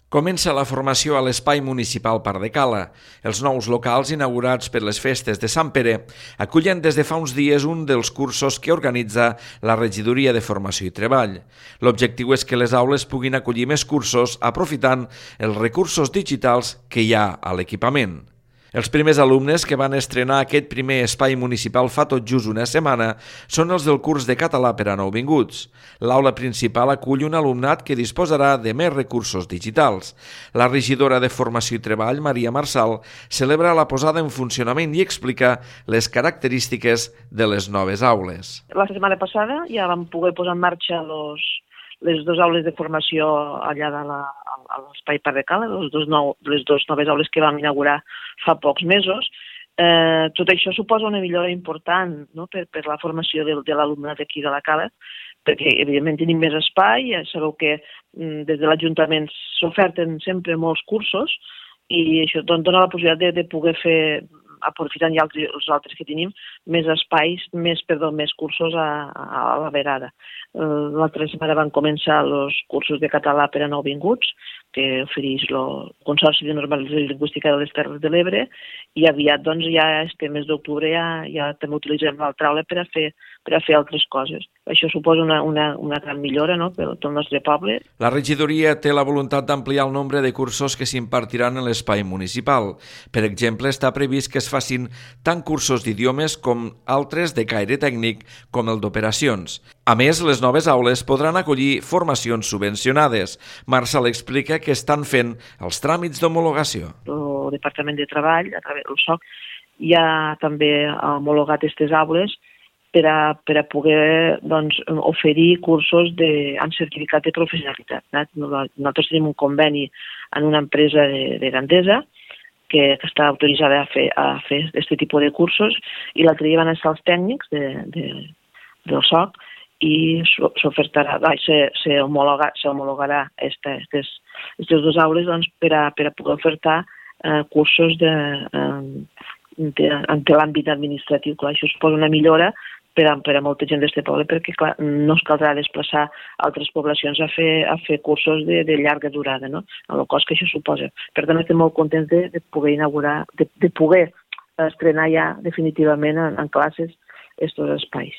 Comença la formació a l'Espai Municipal Parc de Cala. Els nous locals inaugurats per les festes de Sant Pere acullen des de fa uns dies un dels cursos que organitza la Regidoria de Formació i Treball. L'objectiu és que les aules puguin acollir més cursos aprofitant els recursos digitals que hi ha a l'equipament. Els primers alumnes que van estrenar aquest primer espai municipal fa tot just una setmana són els del curs de català per a nouvinguts. L'aula principal acull un alumnat que disposarà de més recursos digitals. La regidora de Formació i Treball, Maria Marçal, celebra la posada en funcionament i explica les característiques de les noves aules. La setmana passada ja vam poder posar en marxa les dues aules de formació allà a l'Espai Parc de Cala, les dues noves aules que vam inaugurar fa pocs mesos. Tot això suposa una millora important, no? per la formació de l'alumnat aquí de la Cala, perquè evidentment tenim més espai. Ja sabeu que des de l'Ajuntament s'oferten sempre molts cursos i això dona la possibilitat de poder fer, aprofitant ja els altres que tenim, més espais, més cursos a la vegada. L'altra setmana van començar els cursos de català per a nouvinguts, que ofereix el Consorci de Normalització Lingüística de les Terres de l'Ebre, i aviat, doncs, ja este mes d'octubre ja també utilitzem l'altra aula per a fer altres coses. Això suposa una gran millora, no?, per tot el nostre poble. La regidoria té la voluntat d'ampliar el nombre de cursos que s'impartiran en l'espai municipal. Per exemple, està previst que es facin tant cursos d'idiomes com altres de caire tècnic com el d'operacions. A més, les noves aules podran acollir formacions subvencionades. Marçal explica que estan fent els tràmits d'homologació. El Departament de Treball, a través del SOC, ja també ha homologat aquestes aules per a poder, doncs, oferir cursos amb certificat de professionalitat. Nosaltres tenim un conveni en una empresa de Gandesa que està autoritzada a fer aquest tipus de cursos, i l'altre dia van estar els tècnics del SOC i s'homologarà aquestes dues aules, doncs, per a poder ofertar cursos en l'àmbit administratiu. Clar, això suposa una millora per a molta gent d'aquest poble, perquè clar, no es caldrà desplaçar a altres poblacions a fer cursos de llarga durada, no?, amb el cost que això suposa. Per tant, estem molt contents de poder inaugurar, de poder estrenar ja definitivament en classes aquests espais.